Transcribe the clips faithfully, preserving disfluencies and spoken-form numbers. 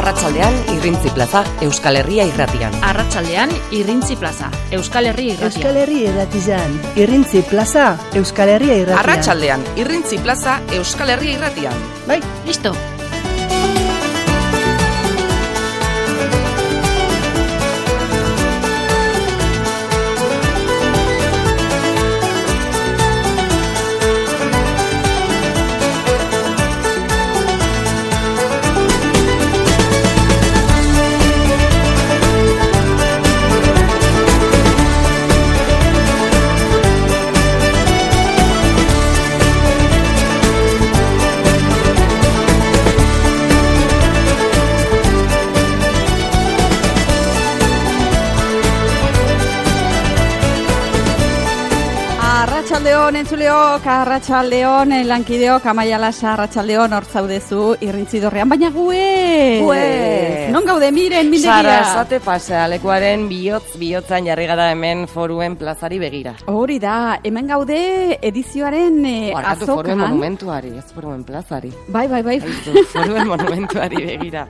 Arratsaldean Irrintzi Plaza, Euskal Herria Irratian. Arratsaldean Irrintzi Plaza, Euskal Herria Irratian. Euskal Herria Irratian. Irrintzi Plaza, Euskal Herria Irratian. Arratsaldean Irrintzi Plaza, Euskal Herria Irratian. Bai, listo. Arratsaldeon entzuleok, arratsaldeon lankideok, Amaia Lasa, arratsaldeon hor zaudezu Irrintzidorrean, baina guez. Guez. Non gaude miren mindegira. Sarasate pasea lekuaren bihotz bihotzan jarri gara hemen Foruen plazari begira. Hori da, hemen gaude edizioaren eh, Barkatu, azokan. Foruen monumentuari, ez Foruen plazari. Bai, bai, bai. Aizu, Foruen monumentuari begira.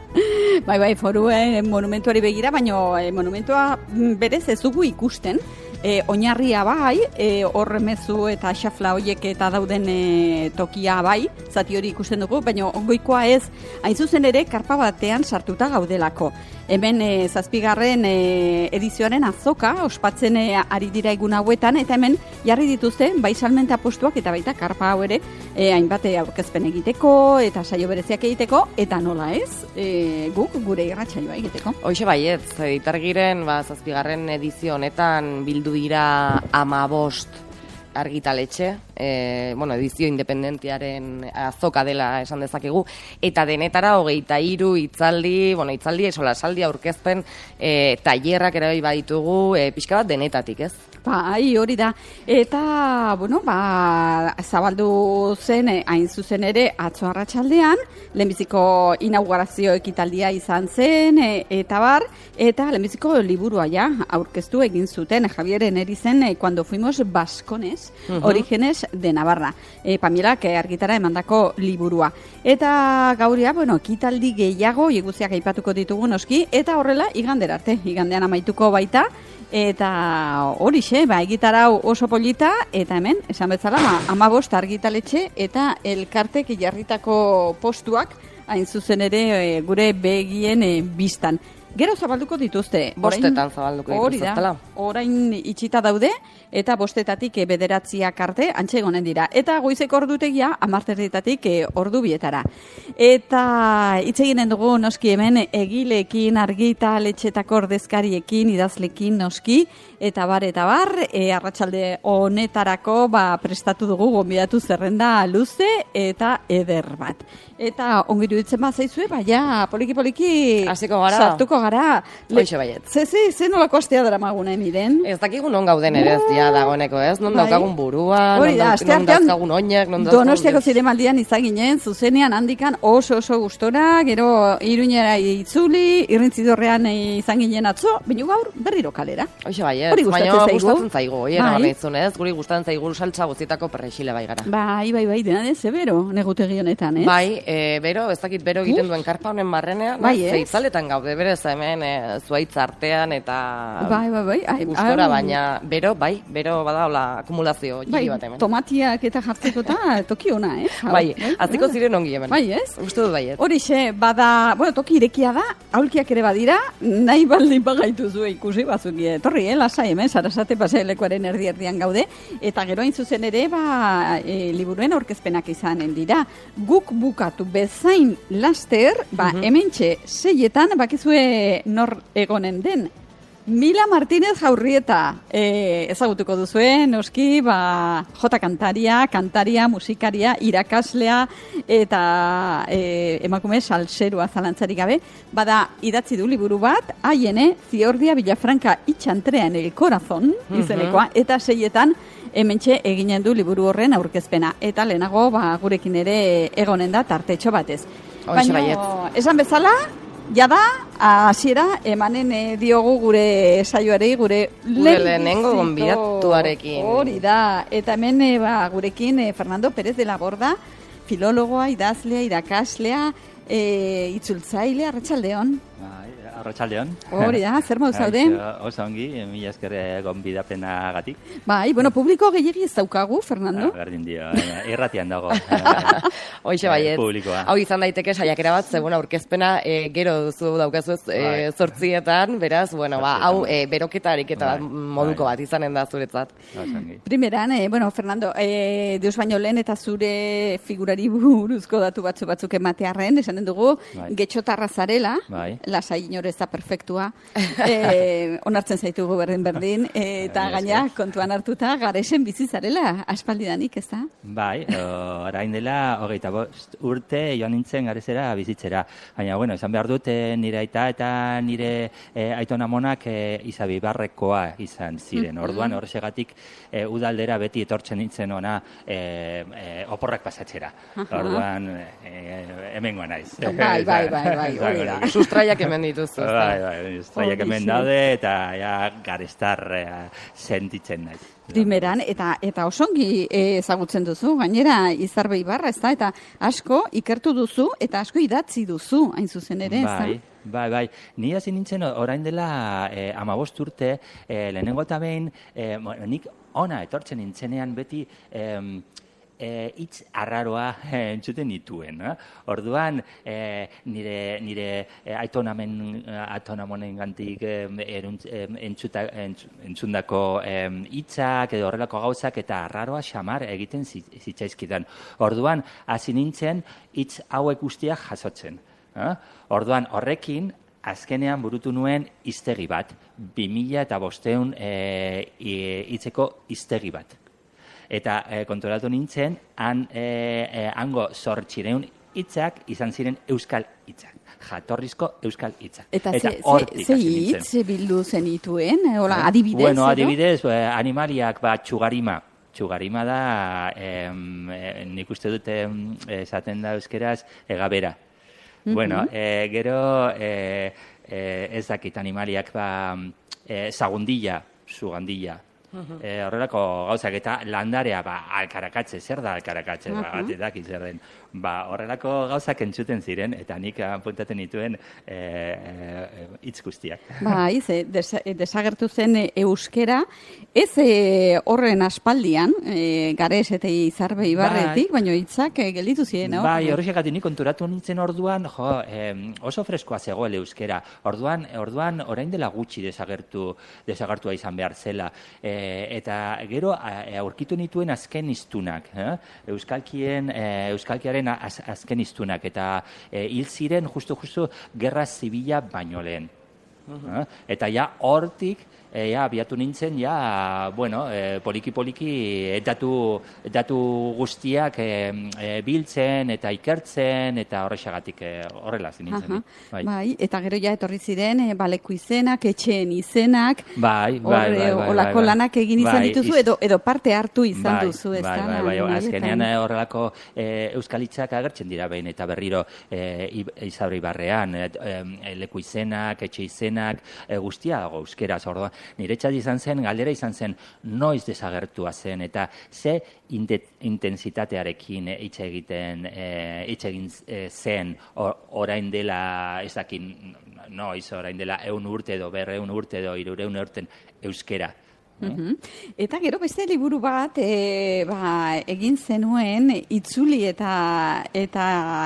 Bai, bai, Foruen monumentuari begira, baina eh, monumentua berez ez dugu ikusten. E, oinarria bai, e, horre mezu eta xafla hoiek eta dauden e, tokia bai, zati hori ikusten dugu, baina ongoikoa ez, hain zuzen ere, karpa batean sartuta gaudelako. Hemen e, zazpigarren e, edizioaren azoka, ospatzen e, ari dira egun hauetan, eta hemen jarri dituzte, bai salmenta postuak eta baita karpa hau ere, e, hainbat aurkezpen egiteko, eta saio bereziak egiteko, eta nola ez, e, guk gure irratsaioa egiteko. Hoxe baietz, editargiren, ba, zazpigarren edizio honetan bildu dira amabost argitaletxe, e, bueno, edizio independentiaren azoka dela esan dezakegu, eta denetara hogeita hiru hitzaldi, bueno, hitzaldi, solasaldi aurkezpen, e, tailerrak ere bai baditugu, e, pixka bat denetatik, ez? Bai, hori da. Eta, bueno, ba, zabaldu zen, hain zuzen ere, atzo arratsaldean, lehenbiziko inaugurazio ekitaldia izan zen, e, eta bar, eta lehenbiziko liburua ja, aurkeztu egin zuten, Javieren erizen, e, cuando fuimos vascones, uh-huh. Orígenes de Navarra. E, Pamilak e, argitara emandako liburua. Eta gauria, bueno, ekitaldi gehiago, iguziak aipatuko ditugu noski, eta horrela, igandera arte, igandean amaituko baita, eta horixe, ba, egitarau oso polita, eta hemen, esan bezala, ba, amabost argitaletxe eta elkartek jarritako postuak, hain zuzen ere e, gure begien e, biztan. Gero zabalduko dituzte. Bostetan zabalduko dituzte. Hori da, orain itxita daude, eta bostetatik e, bederatziak arte antxe egonen dira. Eta goizeko ordutegia, amarterritatik e, ordu bietara. Eta hitz eginen dugu noski hemen egilekin, argitaletxetako ordezkariekin, idazlekin noski, eta bar, eta bar, e, arratsalde honetarako ba, prestatu dugu gonbidatu zerrenda luze eta eder bat. Eta ongiru ditzen bat zaizue, baina poliki-poliki hasiko gara. Sartuko gara. Hoxe baiet. Ze, ze, ze nolako astea dara maguna emiren? Ez dakigu non gauden ere ez dia dagoeneko, ez? Non bai. daukagun burua, Hori non, da, dauk, non dauzkagun oinak, non dauzkagun... Donostiako zinemaldian izaginen, zuzenean handikan oso oso gustora, gero Iruñera itzuli, Irrintzidorrean izan ginen atzo, baina gaur berriro kalera. Hoxe baiet, hori gustatzen zaigu. Gustatzen zaigu, hori bai. Garritzun, ez? Guri gustatzen zaigu saltza guztietako perrexile bai gara. Bai, bai, bai, dena de zebero, negutegi honetan, ez? Bai, e, bero, ez dakit bero egiten duen karpa honen barrenean, bai, zeitzaletan gaude, berez hemen e, zuaitz artean eta bai, bai, bai, ai, gustora, ai, baina bero, bai, bero bada hola akumulazio bai, bat hemen. Tomatiak eta jartzeko eta toki ona, eh? Bai, atziko ziren ongi hemen. Bai, ez? Uste dut baiet. Horixe, bada, bueno, toki irekia da, aulkiak ere badira, nahi baldin bagaitu zuen ikusi batzuk etorri, eh, lasai hemen, Sarasate pasealekuaren erdi-erdian gaude, eta gero hain zuzen ere, ba, e, liburuen aurkezpenak izanen dira. Guk bukatu bezain laster, ba, uh-huh. hementxe, seietan, bakizue nor egonen den, Mila Martínez Jaurrieta, e, ezagutuko duzue, noski, ba, jota kantaria, kantaria, musikaria, irakaslea, eta e, emakume salserua zalantzarik gabe, bada idatzi du liburu bat, haiene, Ziordia Villafranca itxantrean el corazón, izenekoa, uh-huh. eta seietan, hementxe eginen du liburu horren aurkezpena. Eta lehenago, ba, gurekin ere egonen da tartetxo batez. Baina, esan bezala, jada, hasiera emanen e, diogu gure saioarei, gure lehenengo gonbidatuarekin. Hori da, eta hemen e, ba, gurekin e, Fernando Pérez de la Borda, filologoa, idazlea, irakaslea, e, itzultzaile, arratsaldeon. Arratsaldeon. Hori da, zer modu zaude? Oso ongi, mila esker gonbidapenagatik. Bai, bueno, publiko gehiegi ez daukagu, Fernando. Berdin dio, irratian dago. Hoixe baiet. Publikoa. Hau izan daiteke saiakera bat, ze, bueno, aurkezpena e, gero duzu daukazu ez e, zortzietan, beraz, bueno, ba, hau e, beroketa ariketa moduko bat izanen da zuretzat. Primeran, e, bueno, Fernando, e, deus baino lehen eta zure figurari buruzko datu batzu batzuk ematearren, esanen dugu, bai. Getxotarra zarela, bai. Lasai inore ez da perfektua, e, onartzen zaitugu berdin-berdin, e, eta gaina kontuan hartuta garesen bizi zarela, aspaldidanik, ez da? Bai, orain dela, hogeita bost urte joan nintzen garezera bizitzera. Baina, bueno, esan behar dut, nire aita eta nire e, aitona monak e, Izabibarrekoa izan ziren. Orduan, horregatik e, udaldera beti etortzen nintzen ona e, e, oporrak pasatzera. Orduan, e, hemen goa naiz. Bai, bai, bai, bai, hori da. Sustraiak hemen dituzu. Bai, bai, sustraiak hemen daude eta ja garestar sentitzen naiz. Primeran, eta eta osongi ezagutzen duzu, gainera Izarbe Ibarra, ez da, eta asko ikertu duzu, eta asko idatzi duzu, hain zuzen ere, ez da? Bai, bai, bai. Ni hasi nintzen orain dela eh, amabost urte, eh, lehenengo eta behin, eh, nik ona etortzen nintzenean beti, eh, E, hitz arraroa e, entzuten nituen. Eh? Orduan, e, nire, nire e, aitonamen, aitonamonen gantik e, eruntz, e, entzuta, entz, entzundako hitzak edo horrelako gauzak eta arraroa xamar egiten zitzaizkidan. Orduan, hasi nintzen hitz hauek guztiak jasotzen. Eh? Orduan, horrekin, azkenean burutu nuen hiztegi bat. bi mila bosteun hitzeko hiztegi bat. Eta e, konturatu nintzen, han, e, e, hango zortzireun hitzak izan ziren euskal hitzak. Jatorrizko euskal hitzak. Eta, eta ze hitz bildu zenituen? Hola, adibidez? Bueno, adibidez, eh, animaliak bat txugarima. Txugarima da, eh, eh, nik uste dute esaten da euskeraz, egabera. Mm-hmm. Bueno, eh, gero eh, eh, ez dakit animaliak ba, eh, zagundilla, zugandilla. Uh-huh. E, horrelako gauzak eta landarea ba, alkarakatze, zer da alkarakatze, uh-huh. ba, batetak zer den. Ba, horrelako gauzak entzuten ziren eta nik apuntaten dituen hitz e, e, guztiak. Ba, ize, des, desagertu zen euskera, ez e, horren aspaldian, e, Gares eta Izarbe Ibarretik, baina hitzak e, gelditu ziren. Bai, horrexegatik nik konturatu nintzen orduan, jo, e, oso freskoa zegoela euskera. Orduan, orduan orain dela gutxi desagertu, desagertua izan behar zela. E, eta gero aurkitu nituen azken hiztunak, eh? Euskalkien, e, Euskalkiaren az, azken hiztunak eta e, hil ziren justu-justu gerra zibila baino lehen. Uh-huh. Eh? Eta ja hortik E, ja, abiatu nintzen, ja, bueno, e, poliki-poliki datu, datu guztiak e, e, biltzen eta ikertzen eta horrexagatik e, horrela nintzen. Bai. Bai, eta gero ja etorri ziren, e, baleku izenak, etxeen izenak, bai, bai, bai, bai, olako bai, bai. lanak egin izan bai, dituzu, edo, edo parte hartu izan bai, duzu, ez bai, da? Bai, bai, bai, azkenean horrelako e, euskalitzak agertzen dira behin eta berriro e, Izarbe Ibarrean, e, e, leku izenak, etxe izenak, e, guztia dago euskeraz, orduan. Niretzat izan zen, galdera izan zen, noiz desagertua zen, eta ze intensitatearekin hitz egiten, hitz egin zen, orain dela, ez dakin, noiz, orain dela eun urte edo, berreun urte edo, irureun urten euskera. Uh-huh. Eta gero beste liburu bat e, ba, egin zenuen, itzuli eta, eta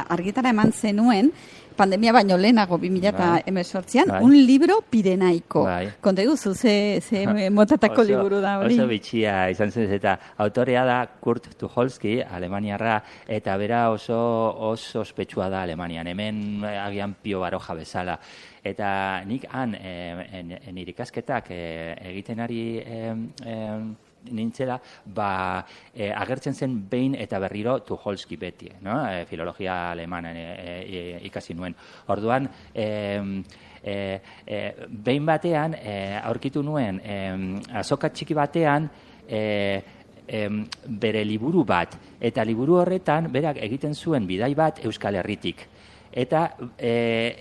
argitara eman zenuen, pandemia baino lehenago bi mila hemezortzian, bai. Un libro pirenaiko. Bai. Konta guzu, ze, ze motatako oso, liburu da hori? Oso bitxia izan zen, eta autorea da Kurt Tucholsky, Alemaniarra, eta bera oso, oso ospetsua da Alemanian, hemen agian Pio Baroja bezala. Eta nik han, e, nire ikasketak e, egiten ari e, e, nintzela, ba, e, agertzen zen behin eta berriro Tucholsky beti, no? E, filologia alemana e, e, ikasi nuen. Orduan, e, e, e, behin batean, e, aurkitu nuen, e, azoka txiki batean, e, e, bere liburu bat, eta liburu horretan, berak egiten zuen bidai bat Euskal Herritik. Eta e,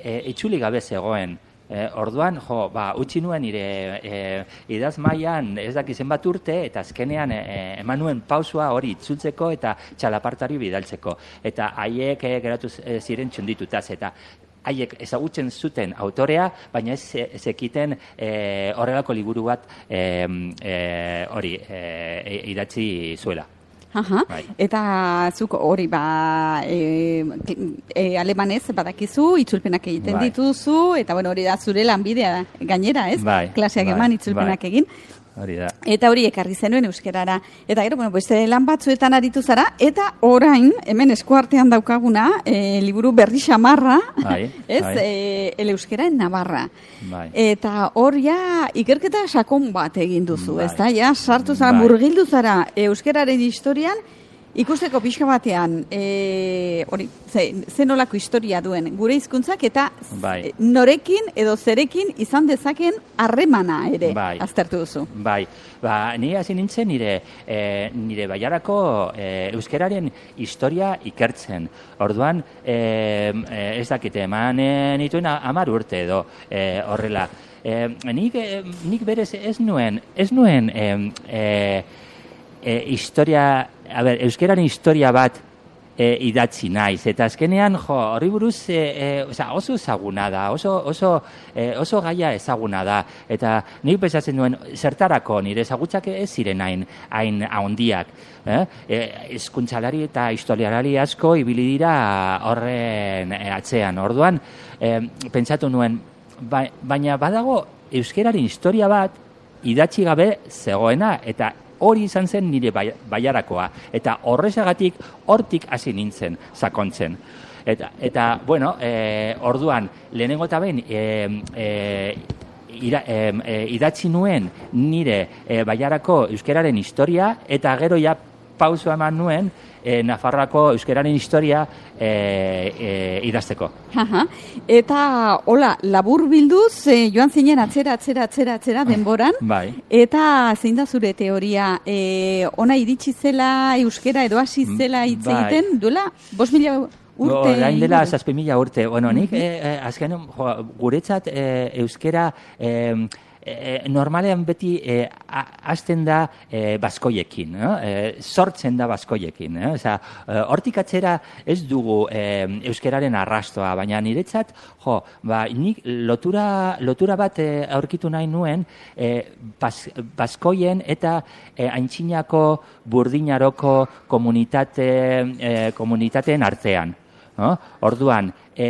e, itzuli gabe zegoen, E, orduan, jo, ba, utzi nuen nire e, idaz mailan ez daki zenbat urte, eta azkenean e, eman nuen pausua hori itzultzeko eta txalapartari bidaltzeko. Eta haiek e, geratu ziren txunditutaz, eta haiek ezagutzen zuten autorea, baina ez zekiten e, horrelako liburu bat e, e, hori e, idatzi zuela. Aha. Bai. Eta zuk hori ba e, e, alemanez badakizu, itzulpenak egiten bai. dituzu, eta bueno, hori da zure lanbidea gainera, ez? Bai. Klaseak bai. eman itzulpenak bai. egin. Hori da. Eta hori ekarri zenuen euskerara. Eta gero, bueno, beste lan batzuetan aritu zara, eta orain, hemen eskuartean daukaguna, e, liburu berri xamarra, bai, ez, bai. E, el euskera en Navarra. Bai. Eta hor ja, ikerketa sakon bat egin duzu, bai. ez da? Ja, sartu zara, bai. murgildu zara euskeraren historian, ikusteko pixka batean, e, hori, ze, ze nolako historia duen gure hizkuntzak eta bai. norekin edo zerekin izan dezaken harremana ere bai. aztertu duzu. Bai, ba, ni hasi nintzen nire, e, nire baiarako e, euskeraren historia ikertzen. Orduan, e, e, ez dakite, eman e, nituen hamar urte edo e, horrela. E, nik, e, nik berez ez nuen, ez nuen e, e, e, historia... A ber, euskeraren historia bat e, idatzi naiz, eta azkenean, jo, horri buruz e, e, oza, oso ezaguna da, oso, oso, e, oso gaia ezaguna da, eta nik pentsatzen duen, zertarako nire ezagutzak ez ziren hain, hain handiak, eh? E, hizkuntzalari eta historialari asko ibili dira horren atzean, orduan, e, pentsatu nuen, ba, baina badago euskeraren historia bat idatzi gabe zegoena, eta hori izan zen nire baiarakoa. Eta horrezagatik, hortik hasi nintzen, sakontzen. Eta, eta bueno, e, orduan, lehenengo eta behin, e, e, ira, e, e, idatzi nuen nire e, baiarako euskeraren historia, eta gero ja pauso eman nuen, E, Nafarroako euskeraren historia e, e, idazteko. Aha. Eta, hola, labur bilduz, e, joan zinen atzera, atzera, atzera, atzera denboran. Bai. Eta zein da zure teoria, e, ona iritsi zela euskera edo hasi zela hitz egiten, bai. duela, bost mila urte? Orain dela, zazpi mila urte. Bueno, nik, e, e, azken, jo, guretzat e, euskera... E, E, normalean beti e, hasten da e, baskoiekin, no? e, sortzen da baskoiekin. Eh? Oza, e, hortik atzera ez dugu e, euskeraren arrastoa, baina niretzat, jo, ba, nik lotura, lotura bat e, aurkitu nahi nuen e, bas, baskoien eta e, aintzinako burdinaroko komunitate, e, komunitateen artean. No? Orduan, e,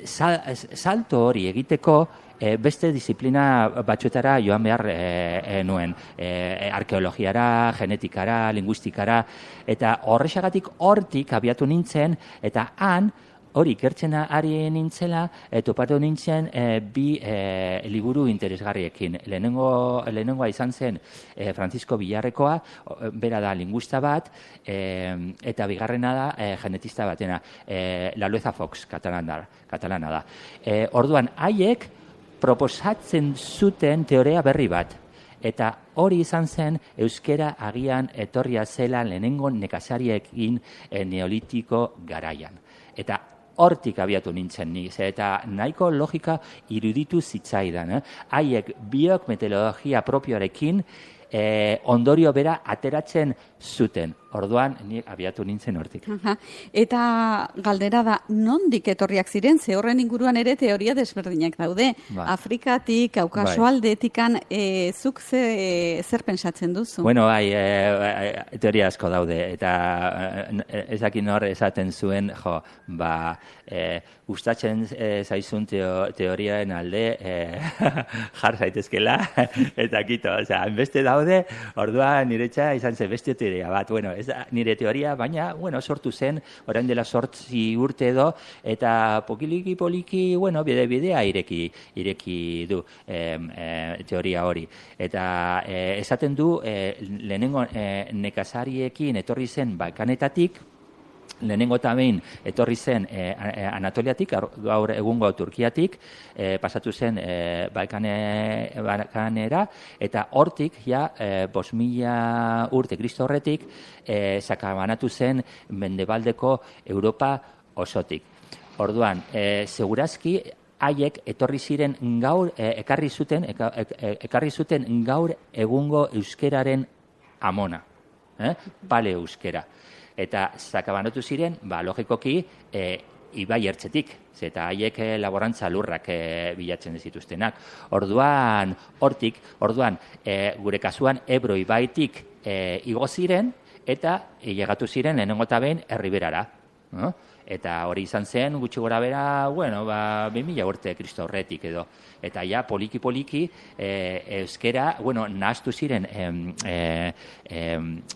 sal, salto hori egiteko, E, beste disiplina batzuetara joan behar e, e, nuen. E, arkeologiara, genetikara, linguistikara, eta horrexagatik hortik abiatu nintzen, eta han, hori ikertzen ari nintzela, e, topatu nintzen e, bi e, liburu interesgarriekin. Lehenengo, lehenengoa izan zen e, Francisco Villarrekoa, bera da linguista bat, e, eta bigarrena da e, genetista batena, e, La Lueza Fox, katalana, katalana da. E, orduan, haiek, proposatzen zuten teoria berri bat. Eta hori izan zen euskera agian etorria zela lehenengo nekazariekin e, neolitiko garaian. Eta hortik abiatu nintzen ni, eta nahiko logika iruditu zitzaidan. Eh? Haiek biok metodologia propioarekin e, ondorio bera ateratzen zuten. Orduan, ni abiatu nintzen hortik. Aha. Eta galdera da, nondik etorriak ziren, ze horren inguruan ere teoria desberdinak daude. Bai. Afrikatik, Kaukaso bai. aldetikan, e, zuk ze, zer pentsatzen duzu? Bueno, bai, e, teoria asko daude, eta ezakin hor esaten zuen, jo, ba, e, gustatzen e, zaizun teo, teoriaen alde e, jar zaitezkela, eta kito, oza, beste daude, orduan niretza izan zen beste teoria bat, bueno, ez da nire teoria, baina, bueno, sortu zen, orain dela sortzi urte edo, eta pokiliki poliki, bueno, bide bidea ireki, ireki du e, e, teoria hori. Eta e, esaten du, e, lehenengo e, nekazariekin etorri zen Balkanetatik, lehenengo eta behin etorri zen e, Anatoliatik, gaur egungo Turkiatik, e, pasatu zen e, Balkane, Balkanera, eta hortik, ja, e, bost mila urte Kristo horretik, e, sakabanatu zen mendebaldeko Europa osotik. Orduan, e, segurazki, haiek etorri ziren gaur, e, ekarri zuten, eka, e, ekarri zuten gaur egungo euskeraren amona, eh? Pale euskera. Eta zakabanatu ziren, ba, logikoki, e, ibai ertzetik, eta haiek e, laborantza lurrak e, bilatzen zituztenak. Orduan, hortik, orduan, e, gure kasuan, Ebro ibaitik e, igo ziren, eta llegatu ziren lehenengo eta behin Erriberara. No? Eta hori izan zen, gutxi gora bera, bueno, ba, bi mila urte Kristo horretik edo. Eta ja, poliki-poliki, e, euskera, bueno, nahaztu ziren e, e,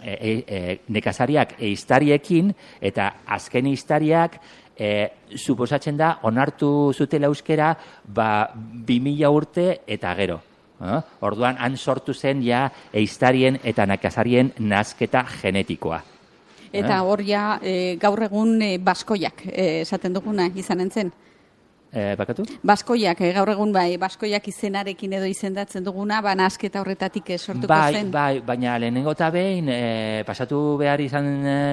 e, e, nekazariak eiztariekin, eta azken eiztariak, e, suposatzen da, onartu zutela euskera, ba, bi mila urte eta gero. Eh? Orduan, han sortu zen ja eiztarien eta nekazarien nazketa genetikoa. Eta hor ja, e, gaur egun e, baskoiak, e, esaten duguna izan entzen. E, bakatu? Baskoiak, e, gaur egun bai, baskoiak izenarekin edo izendatzen duguna, ba nazketa horretatik sortuko bai, zen. Bai, baina lehenengo eta behin, e, pasatu behar izan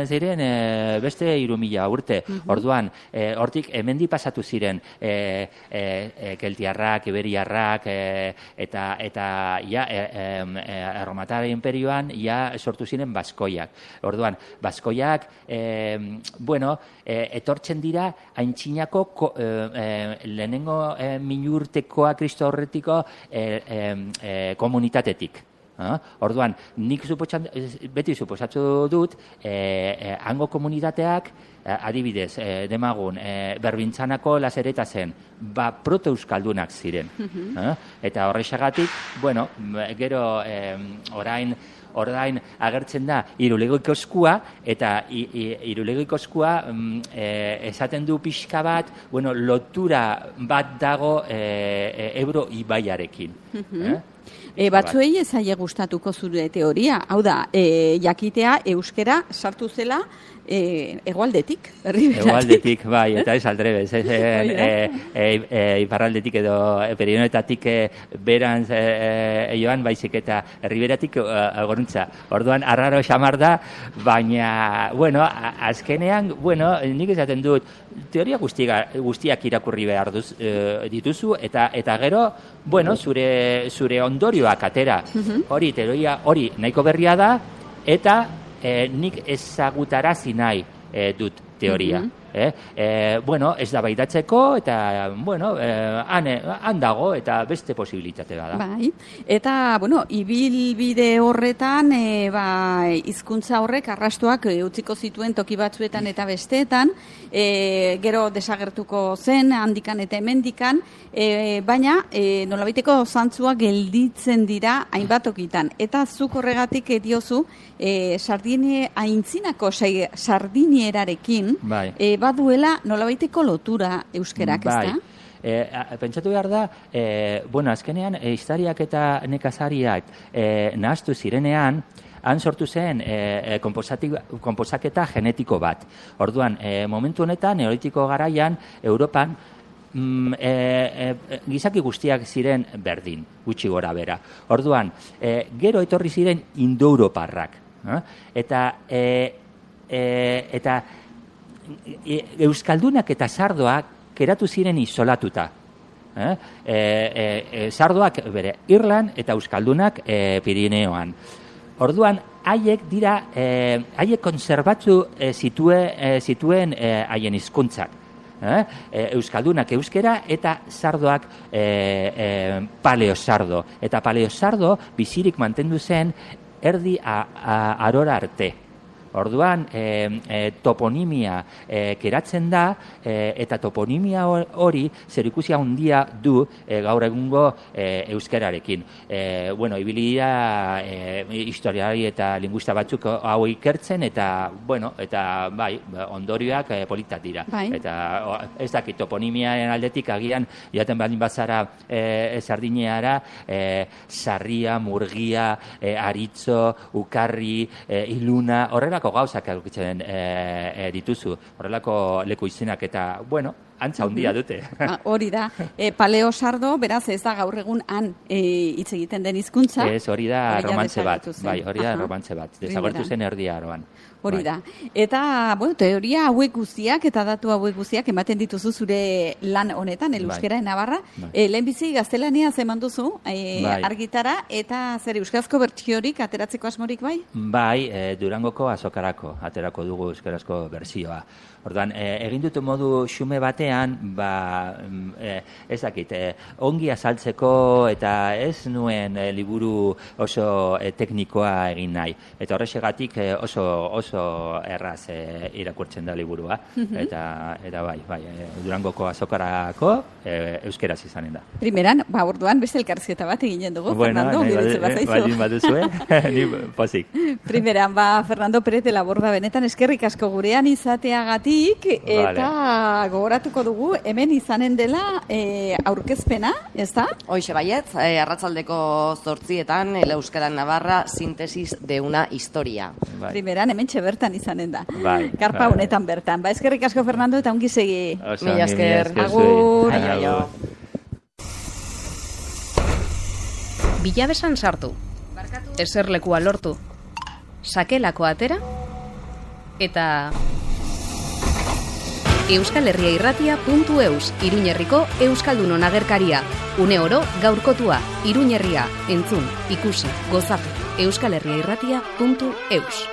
ziren, e, beste hiru mila urte. Uh -huh. Orduan, e, hortik hemendi pasatu ziren, e, e, e, keltiarrak, iberiarrak, e, eta, eta ja, e, e, erromatar imperioan, ja sortu ziren baskoiak. Orduan, baskoiak, e, bueno, e, etortzen dira, haintzinako, ko, e, e, lehenengo e, minurtekoa Kristo horretiko e, e, e, komunitatetik. Ah? Orduan, nik beti suposatu dut, e, e, hango komunitateak, e, adibidez, e, demagun, e, Berbintzanako Lazereta zen, ba, proto-euskaldunak ziren. Uh-huh. ah? Eta horrexagatik, bueno, gero e, orain, Ordain agertzen da Irulegoiko eskua, eta Irulegoiko eskua mm, e, esaten du pixka bat, bueno, lotura bat dago e, e, Ebro ibaiarekin. Uh-huh. eh? E, batzuei ez aie gustatuko zure teoria, hau da, e, jakitea euskera sartu zela e, egoaldetik, Erriberatik. Egoaldetik, bai, eta ez aldrebez, ez, e, e, e, e, iparraldetik edo e, perionetatik e, berantz e, e, joan baizik eta Erriberatik e, goruntza. Orduan, arraro xamar da, baina, bueno, azkenean, bueno, nik esaten dut, teoria guztiak, guztiak irakurri behar duz, e, dituzu, eta eta gero, bueno, zure, zure ondorioak atera. Uh-huh. Hori, teoria, hori nahiko berria da, eta e, nik ezagutarazi nahi e, dut teoria. Uh-huh. eh? E, bueno, ez da baidatzeko, eta, bueno, eh, han, han dago, eta beste posibilitate da. Bai, eta, bueno, ibilbide horretan, e, ba, hizkuntza horrek arrastuak e, utziko zituen toki batzuetan eta besteetan, e, gero desagertuko zen, handikan eta hemendikan, e, baina, e, nolabaiteko zantzua gelditzen dira hainbat tokitan. Eta zuk horregatik diozu, e, Sardinie aintzinako sardinierarekin, bai. e, baduela nolabaiteko lotura euskerak, bai. ezta? E, pentsatu behar da, e, bueno, azkenean, e, historiak eta nekazariak e, nahaztu zirenean, han sortu zen e, konposaketa genetiko bat. Orduan, e, momentu honetan, neolitiko garaian, Europan, mm, e, e, gizaki guztiak ziren berdin, gutxi gora bera. Orduan, e, gero etorri ziren indoeuroparrak. Eh? Eta, e, e, eta euskaldunak eta sardoak keratu ziren isolatuta. Eh? E, e, sardoak bere Irlan eta euskaldunak e, Pirineoan. Orduan, haiek dira, e, haiek konserbatzu e, zitue, e, zituen e, haien hizkuntzak. Eh? E, euskaldunak euskera eta sardoak e, e, paleosardo. Eta paleosardo bizirik mantendu zen erdi a, a, arora arte. Orduan, e, e, toponimia e, keratzen da, e, eta toponimia hori zerikusia handia du e, gaur egungo e, euskerarekin. E, bueno, ibilira e, historiari eta linguista batzuk hau ikertzen, eta, bueno, eta bai, ondorioak e, politak dira. Bai. Eta o, ez dakit, toponimiaren aldetik agian, jaten baldin bazara e, Sardineara, e, sarria, murgia, e, aritzo, ukarri, e, iluna, horrela gauzak aurkitzen e, e, dituzu, horrelako leku izenak, eta, bueno, antza handia dute. Ah, hori da, e, paleosardo, beraz ez da gaur egun han e, hitz egiten den hizkuntza. Ez, hori da Hori ja romantze bat, desagertu zen. bai, hori da Aha. romantze bat, desagertu zen erdi aroan. Hori Bai. da. Eta, bueno, teoria hauek guztiak eta datu hauek guztiak ematen dituzu zure lan honetan, el Bai. euskera Navarra. Bai. E, lehenbizi gaztelania eman duzu e, Bai. argitara, eta zer euskarazko bertsiorik ateratzeko asmorik bai? Bai, e, Durangoko azokarako aterako dugu euskarazko bertsioa. Orduan, e, egin dut modu xume batean, ba, mm, e, ez dakit, e, ongi azaltzeko eta ez nuen e, liburu oso e, teknikoa egin nahi. Eta horrexegatik e, oso oso erraz e, irakurtzen da liburua. Eta, eta bai, bai, e, Durangoko azokarako e, euskeraz izanen da. Primeran, ba, orduan beste elkarrizketa bat eginen dugu, Fernando, nahi giretzen badu- bazaizu. baldin baduzue, ni pozik. Primeran, ba, Fernando Pérez de la Borda benetan eskerrik asko gurean izateagatik, eta gogoratuko dugu, hemen izanen dela e, aurkezpena, ez da? Hoxe baietz, eh, arratsaldeko zortzietan, el Euskara Navarra, sintesis de una historia. Bai. Primeran, hemen bertan izanen da. Bai, Karpa bai. honetan bertan. Ba, eskerrik asko, Fernando, eta ongi segi. Oso, Mila mila esker. esker Agur. zuei. Aio. Agur. Bilabesan sartu. Eserlekua lortu. Sakelako atera. Eta Euskal Herria Irratia puntu eus, Iruñerriko Euskaldunon agerkaria. Une oro gaurkotua, Iruñerria, entzun, ikusi, gozatu. Euskal Herria Irratia puntu eus.